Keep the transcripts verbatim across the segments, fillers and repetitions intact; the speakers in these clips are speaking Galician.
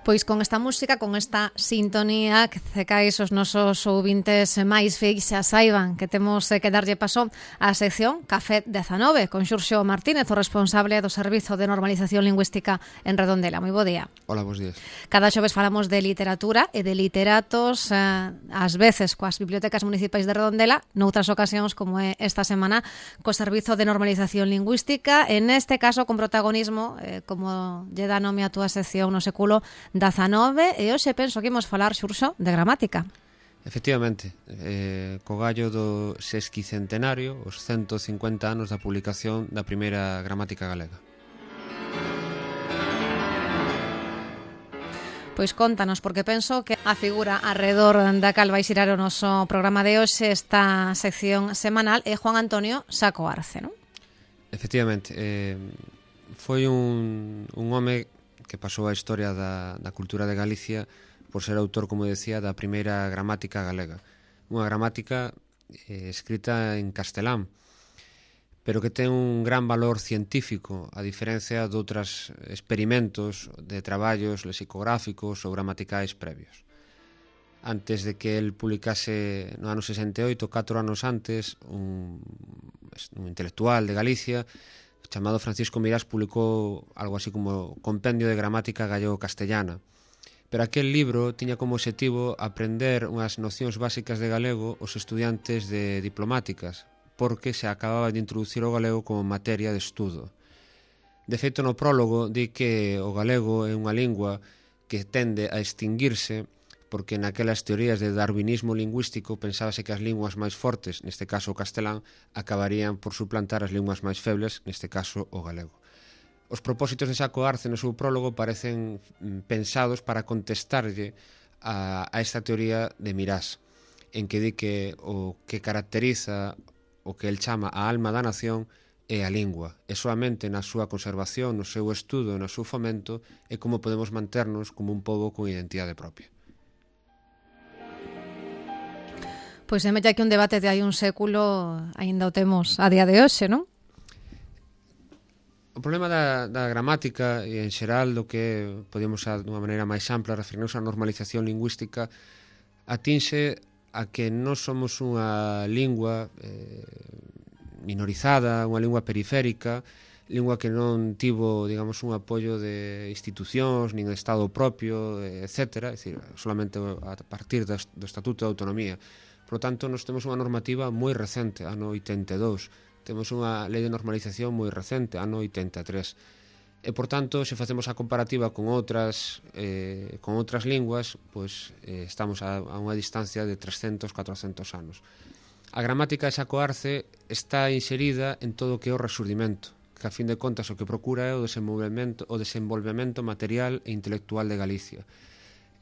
Pois con esta música, con esta sintonía, que cecais os nosos ouvintes máis fiéis xa saiban que temos que darlle paso á sección Café dezanove con Xurxo Martínez, o responsable do Servizo de Normalización Lingüística en Redondela. Moi bo día. Hola, bons días. Cada xoves falamos de literatura e de literatos, eh, ás veces coas bibliotecas municipais de Redondela, noutras ocasións, como é esta semana, co Servizo de Normalización Lingüística, en este caso con protagonismo, eh, como lle dá nome a túa sección no século dezanove, e hoxe penso que imos falar, Xurxo, de gramática. Efectivamente, eh, co gallo do sesquicentenario, os ciento cincuenta anos da publicación da primeira gramática galega. Pois contanos, porque penso que a figura arredor da cal vai xirar o noso programa de hoxe, esta sección semanal, é Juan Antonio Saco Arce, non? Efectivamente, eh, foi un, un home que pasou a historia da, da cultura de Galicia por ser autor, como decía, da primeira gramática galega. Unha gramática eh, escrita en castelán, pero que ten un gran valor científico, a diferencia de outros experimentos de traballos lexicográficos ou gramaticais previos. Antes de que el publicase no ano sesenta e oito, catro anos antes, un, un intelectual de Galicia chamado Francisco Mirás publicou algo así como Compendio de Gramática Gallego-Castellana. Pero aquel libro tiña como objetivo aprender unhas nocións básicas de galego os estudiantes de diplomáticas, porque se acababa de introducir o galego como materia de estudo. De feito, no prólogo di que o galego é unha lingua que tende a extinguirse porque naquelas teorías de darwinismo lingüístico pensábase que as linguas máis fortes, neste caso o castelán, acabarían por suplantar as linguas máis febles, neste caso o galego. Os propósitos de Saco Arce no seu prólogo parecen pensados para contestarlle a, a esta teoría de Mirás, en que di que o que caracteriza o que el chama a alma da nación é a lingua, e soamente na súa conservación, no seu estudo e no seu fomento é como podemos manternos como un pobo con identidade propia. Pois é mella que un debate de hai un século aínda o temos a día de hoxe, non? O problema da, da gramática e en xeral do que podemos a, dunha maneira máis ampla referirnos á normalización lingüística atinxe a que non somos unha lingua eh, minorizada, unha lingua periférica, lingua que non tivo, digamos, un apoio de institucións, nin de Estado propio, etcétera, é dicir, solamente a partir do Estatuto de Autonomía. Por lo tanto, nos temos unha normativa moi recente, ano oitenta e dous. Temos unha lei de normalización moi recente, ano oitenta e tres. E, por tanto, se facemos a comparativa con outras eh, con outras linguas, pois eh, estamos a, a unha distancia de trescentos, catrocentos anos. A gramática de Saco Arce está inserida en todo o que é o resurdimento, que a fin de contas o que procura é o desenvolvemento, o desenvolvemento material e intelectual de Galicia.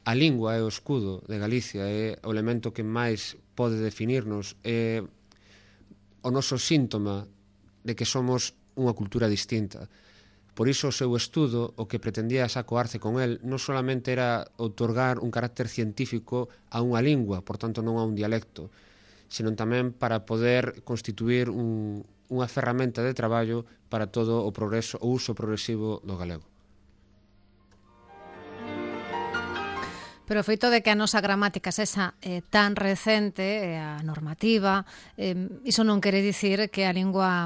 A lingua é o escudo de Galicia, é o elemento que máis pode definirnos, é o noso síntoma de que somos unha cultura distinta. Por iso o seu estudo, o que pretendía Saco Arce con el, non solamente era outorgar un carácter científico a unha lingua, por tanto non a un dialecto, senón tamén para poder constituir un, unha ferramenta de traballo para todo o progreso, o uso progresivo do galego. Pero o feito de que a nosa gramática sexa eh, tan recente, eh, a normativa, eh, iso non quere dicir que a lingua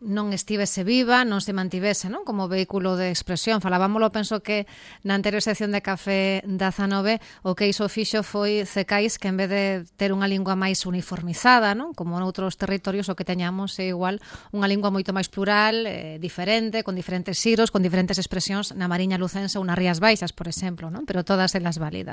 non estivese viva, non se mantivese, non? Como vehículo de expresión. Falábamolo, penso que na anterior sección de Café dezanove o que iso fixo foi cecais que en vez de ter unha lingua máis uniformizada, non? Como noutros territorios o que teñamos é igual unha lingua moito máis plural, eh, diferente, con diferentes xiros, con diferentes expresións na Mariña Lucense ou nas Rías Baixas, por exemplo, non? Pero todas elas válidas.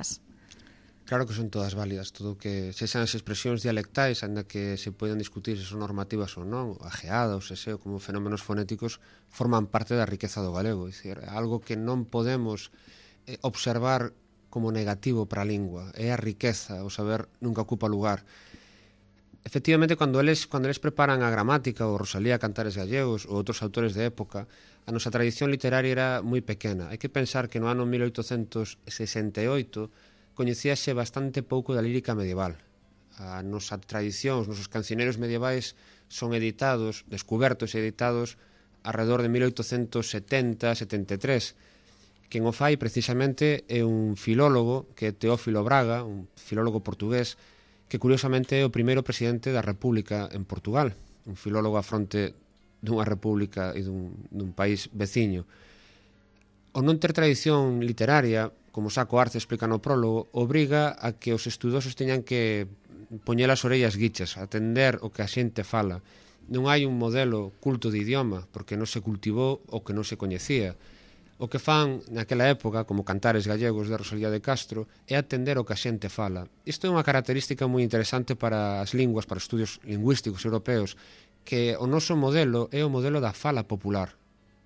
Claro que son todas válidas, todo que sexan as expresións dialectais, ainda que se poden discutir se son normativas ou non, ajeada ou seseo como fenómenos fonéticos, forman parte da riqueza do galego, é dicir, algo que non podemos eh, observar como negativo para a lingua, é a riqueza, o saber nunca ocupa lugar. Efectivamente, cando eles, cando eles preparan a gramática, ou Rosalía Cantares Gallegos, ou outros autores de época, a nosa tradición literaria era moi pequena. Hai que pensar que no ano mil oitocentos sesenta e oito coñecíase bastante pouco da lírica medieval. A nosa tradición, os nosos cancioneros medievais son editados, descubertos e editados alrededor de mil oitocentos setenta, setenta e tres. Quen o fai precisamente é un filólogo que é Teófilo Braga, un filólogo portugués que curiosamente é o primeiro presidente da República en Portugal, un filólogo a fronte dunha república e dun, dun país veciño. O non ter tradición literaria, como Saco Arce explica no prólogo, obriga a que os estudosos teñan que poñer as orellas guichas, atender o que a xente fala. Non hai un modelo culto de idioma, porque non se cultivou o que non se coñecía. O que fan naquela época, como Cantares gallegos de Rosalía de Castro, é atender o que a xente fala. Isto é unha característica moi interesante para as linguas, para os estudios lingüísticos europeos, que o noso modelo é o modelo da fala popular,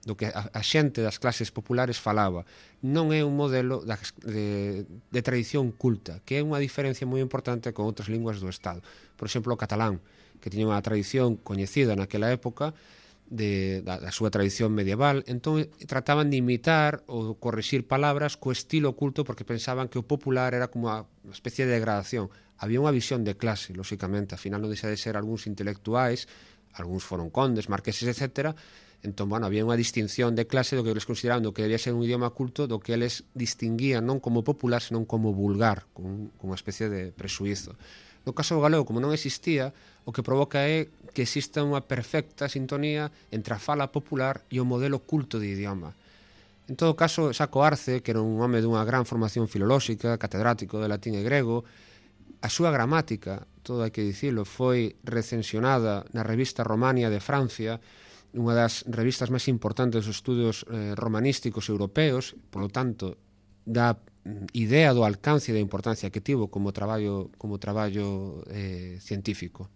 do que a, a xente das clases populares falaba. Non é un modelo da, de, de tradición culta, que é unha diferencia moi importante con outras linguas do Estado. Por exemplo, o catalán, que tiña unha tradición coñecida naquela época, de, da, da súa tradición medieval, entón trataban de imitar ou corrixir palabras co estilo culto porque pensaban que o popular era como unha especie de degradación. Había unha visión de clase, lóxicamente, ao final non deixa de ser algúns intelectuais, algúns foron condes, marqueses, etcétera. Entón, bueno, había unha distinción de clase do que eles consideraban do que debía ser un idioma culto, do que eles distinguían non como popular, senón como vulgar, con, con unha especie de presuízo. No caso do galego, como non existía, o que provoca é que exista unha perfecta sintonía entre a fala popular e o modelo culto de idioma. En todo caso, Saco Arce, que era un home dunha gran formación filolóxica, catedrático de latín e grego, a súa gramática, todo hai que dicilo, foi recensionada na revista Romania de Francia, unha das revistas máis importantes dos estudios eh, romanísticos europeos, polo tanto, dá idea do alcance e da importancia que tivo como traballo, como traballo eh, científico.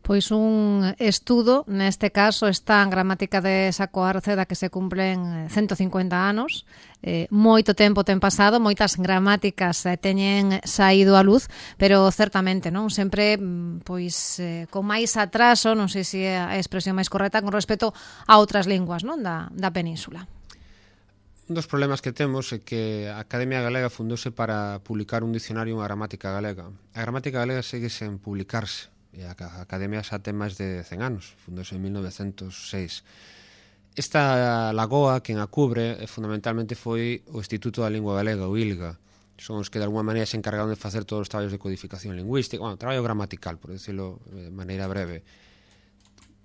Pois un estudo, neste caso está en gramática de Saco Arce, da que se cumplen ciento cincuenta anos. Eh, moito tempo ten pasado, moitas gramáticas eh, teñen saído á luz, pero certamente, non, sempre pois eh, con máis atraso, non sei se é a expresión máis correcta, con respecto a outras linguas, non, da, da península. Un dos problemas que temos é que a Academia Galega fundouse para publicar un dicionario e unha gramática galega. A gramática galega segue sen publicarse. E a Academia xa ten máis de cen anos, fundouse en mil novecentos seis. Esta lagoa, quen a cubre, fundamentalmente foi o Instituto da Lingua Galega, o I L G A. Son os que de alguma maneira se encargaron de facer todos os traballos de codificación lingüística, bueno, traballo gramatical, por decirlo de maneira breve.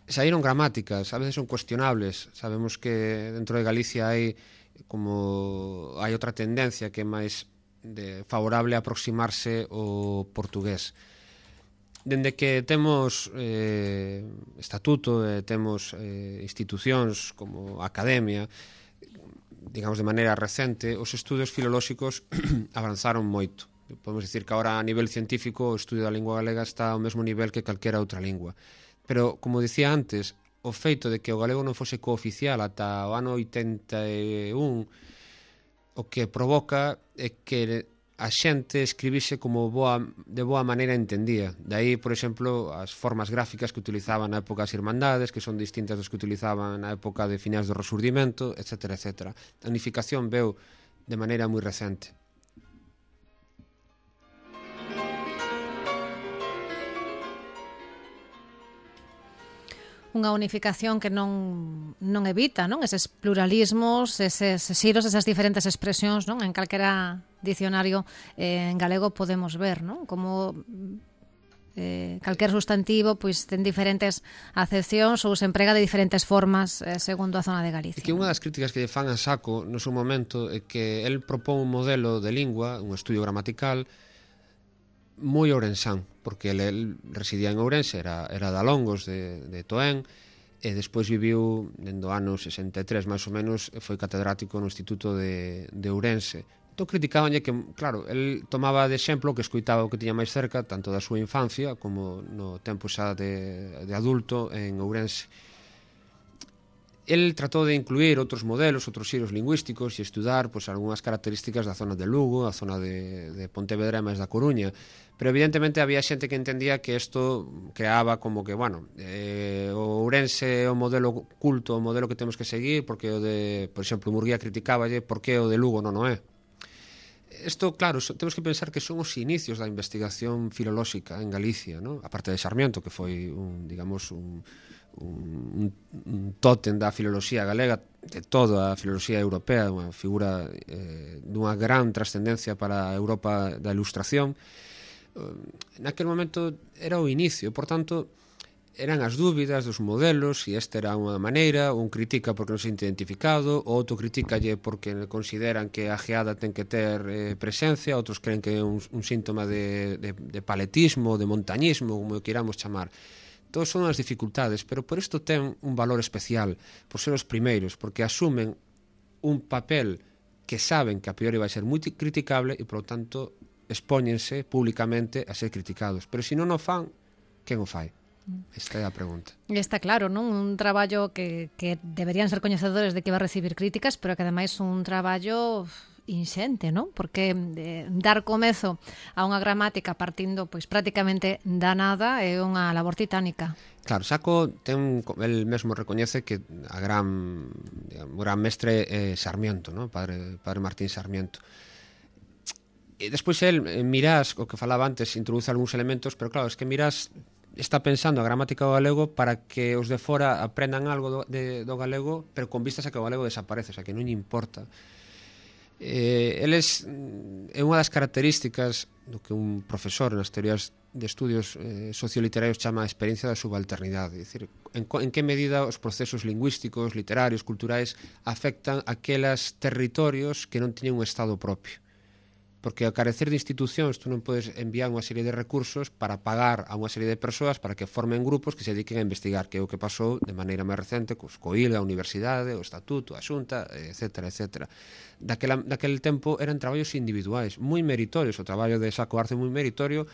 Saíron gramáticas, a veces son cuestionables. Sabemos que dentro de Galicia hai como hai outra tendencia que é máis de favorable a aproximarse ao portugués. Dende que temos eh, estatuto, eh, temos eh, institucións como a Academia, digamos de maneira recente, os estudos filolóxicos avanzaron moito. Podemos dicir que agora a nivel científico o estudio da lingua galega está ao mesmo nivel que calquera outra lingua. Pero, como dicía antes, o feito de que o galego non fose cooficial ata o ano oitenta e un, o que provoca é que a xente escribise como boa, de boa maneira entendía. De aí, por exemplo, as formas gráficas que utilizaban na época as irmandades, que son distintas das que utilizaban na época de finais do Resurdimento, etcétera, etcétera. A unificación veu de maneira moi recente. Unha unificación que non, non evita, non, eses pluralismos, eses xiros, esas diferentes expresións, non, en calquera dicionario eh, en galego podemos ver, non, como eh, calquer sustantivo pois ten diferentes acepcións ou se emprega de diferentes formas eh, segundo a zona de Galicia. E que unha das críticas que lle fan a Saco no seu momento é que el propón un modelo de lingua, un estudio gramatical moi ourensán, porque el, el residía en Ourense, era, era de Alongos, de, de Toén, e despois viviu, dentro do ano sesenta e tres, máis ou menos, foi catedrático no Instituto de, de Ourense. Entón criticabanlle que, claro, el tomaba de exemplo que escoitaba o que tiña máis cerca, tanto da súa infancia como no tempo xa de, de adulto en Ourense. El tratou de incluir outros modelos, outros xiros lingüísticos e estudar pois, algunhas características da zona de Lugo, a zona de, de Pontevedra e máis da Coruña. Pero evidentemente había xente que entendía que isto creaba como que, bueno, eh, o Ourense é o modelo culto, o modelo que temos que seguir, porque o de, por exemplo, Murguía criticáballe, por que o de Lugo non o é? Isto, claro, so, temos que pensar que son os inicios da investigación filolóxica en Galicia, ¿no? A parte de Sarmiento, que foi un, digamos, un, un, un tótem da filoloxía galega, de toda a filoloxía europea, unha figura eh, dunha gran trascendencia para a Europa da Ilustración. Naquele momento era o inicio, por tanto, eran as dúbidas dos modelos, se esta era unha maneira, un critica porque non se sente identificado, o outro criticalle porque consideran que a geada ten que ter eh, presencia, outros creen que é un, un síntoma de, de, de paletismo, de montañismo, como o queiramos chamar. Todas son as dificultades, pero por isto ten un valor especial, por ser os primeiros, porque asumen un papel que saben que a priori vai ser moi criticable e, por lo tanto, expóñense públicamente a ser criticados. Pero se non o fan, quen o fai? Esta é a pregunta. Está claro, non? Un traballo que, que deberían ser coñecedores de que va a recibir críticas, pero que ademais un traballo inxente, non? Porque eh, dar comezo a unha gramática partindo pois prácticamente da nada é unha labor titánica. Claro, Saco ten, el mesmo recoñece que a gran, digamos, gran mestre é Sarmiento, non? Padre, padre Martín Sarmiento. E despois el, Mirás, o que falaba antes, introduce algúns elementos, pero claro, es que Mirás está pensando a gramática do galego para que os de fora aprendan algo do, de, do galego, pero con vistas a que o galego desaparece, o sea, que non lle importa. Eh, eles, é unha das características do que un profesor nas teorías de estudios eh, socioliterarios chama a experiencia da subalternidade, é dicir, en, en que medida os procesos lingüísticos, literarios, culturais afectan aquelas territorios que non teñen un estado propio. Porque ao carecer de institucións tú non podes enviar unha serie de recursos para pagar a unha serie de persoas para que formen grupos que se dediquen a investigar, que é o que pasou de maneira máis recente cos COIL, a Universidade, o Estatuto, a Xunta, etcétera, etcétera. Daquela, daquele tempo eran traballos individuais, moi meritorios, o traballo de Saco Arce moi meritorio,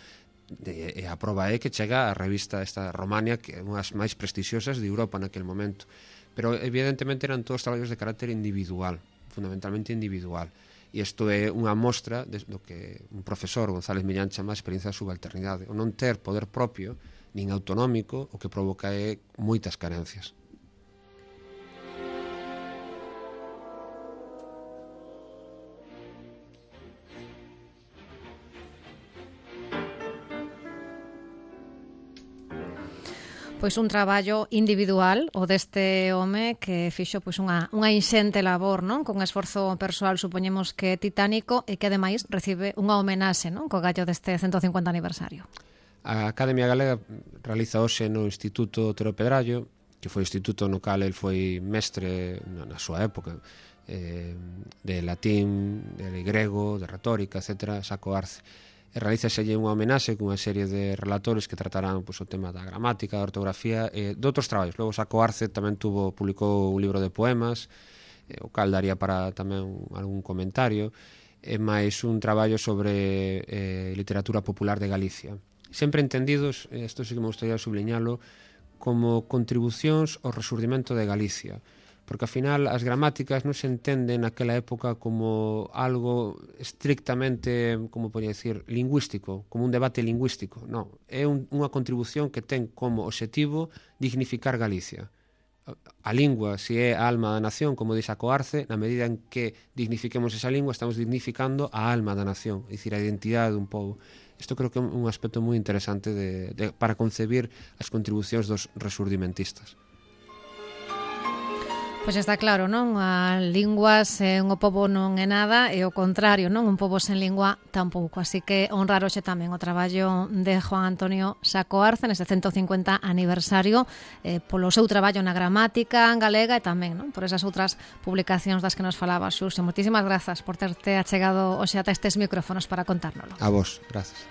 e a prova é que chega a revista esta Romania, que é unha das máis prestixiosas de Europa naquele momento. Pero evidentemente eran todos traballos de carácter individual, fundamentalmente individual. E isto é unha mostra do que un profesor, González Millán, chama a experiencia da subalternidade. O non ter poder propio, nin autonómico, o que provoca é moitas carencias. Pois un traballo individual o deste home que fixo pois unha, unha inxente labor, non? Con esforzo persoal, supoñemos que titánico, e que ademais recibe unha homenaxe, non? Co gallo deste ciento cincuenta aniversario. A Academia Galega realiza hoxe no Instituto Tero Pedrallo, que foi o instituto no cal el foi mestre na súa época, eh, de latín, de grego, de retórica, etcétera, Saco Arce. E realízaselle unha homenaxe cunha serie de relatores que tratarán pois, o tema da gramática, da ortografía e de outros traballos. Logo Saco Arce tamén tuvo, publicou un libro de poemas, eh, o cal daría para tamén algún comentario, e máis un traballo sobre eh, literatura popular de Galicia. Sempre entendidos, isto sí que me gustaría subliñalo, como contribucións ao resurdimento de Galicia, porque ao final as gramáticas non se entenden naquela época como algo estrictamente, como podría decir, lingüístico, como un debate lingüístico. Non, é un, unha contribución que ten como objetivo dignificar Galicia. A lingua, se é a alma da nación, como dixe Saco Arce, na medida en que dignifiquemos esa lingua, estamos dignificando a alma da nación, é dicir, a identidade dun pobo. Isto creo que é un aspecto moi interesante de, de, para concebir as contribucións dos resurdimentistas. Pois está claro, non? A lingua sen o pobo non é nada e o contrario, non? Un pobo sen lingua tampouco. Así que honrar hoxe tamén o traballo de Juan Antonio Saco Arce neste ciento cincuenta aniversario eh, polo seu traballo na gramática galega e tamén, non? Por esas outras publicacións das que nos falaba Xurxo. Moitísimas grazas por terte achegado hoxe ata estes micrófonos para contárnolo. A vos, grazas.